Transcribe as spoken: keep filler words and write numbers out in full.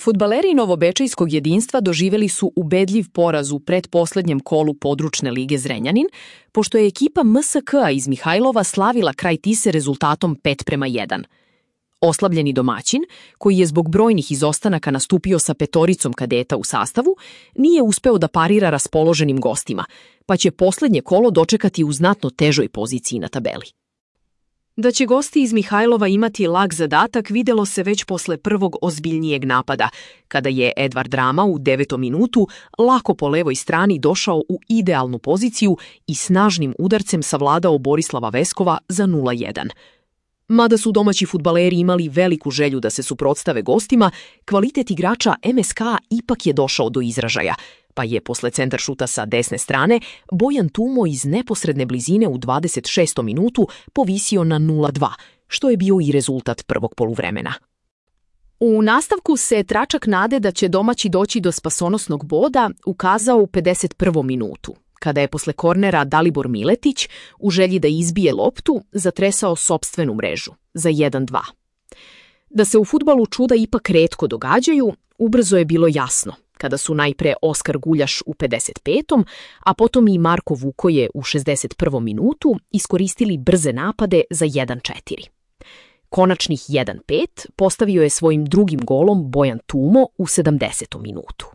Fudbaleri novobečejskog jedinstva doživjeli su ubedljiv poraz u pretposlednjem kolu područne lige Zrenjanin, pošto je ekipa M S K-a iz Mihajlova slavila kraj Tise rezultatom pet prema jedan. Oslabljeni domaćin, koji je zbog brojnih izostanaka nastupio sa petoricom kadeta u sastavu, nije uspeo da parira raspoloženim gostima, pa će poslednje kolo dočekati u znatno težoj poziciji na tabeli. Da će gosti iz Mihajlova imati lag zadatak videlo se već posle prvog ozbiljnijeg napada, kada je Edvard Rama u devetom minutu lako po levoj strani došao u idealnu poziciju i snažnim udarcem savladao Borislava Veskova za nula jedan. Mada su domaći fudbaleri imali veliku želju da se suprotstave gostima, kvalitet igrača M S K ipak je došao do izražaja, pa je posle centar šuta sa desne strane Bojan Tumo iz neposredne blizine u dvadeset šestom minutu povisio na nula dva, što je bio i rezultat prvog poluvremena. U nastavku se tračak nade da će domaći doći do spasonosnog boda ukazao u pedeset prvom minutu, kada je posle kornera Dalibor Miletić, u želji da izbije loptu, zatresao sopstvenu mrežu za jedan dva. Da se u fudbalu čuda ipak retko događaju, ubrzo je bilo jasno, kada su najpre Oskar Guljaš u pedeset petom, a potom i Marko Vukoje u šezdeset prvom minutu iskoristili brze napade za jedan četiri. Konačnih jedan pet postavio je svojim drugim golom Bojan Tumo u sedamdesetom minutu.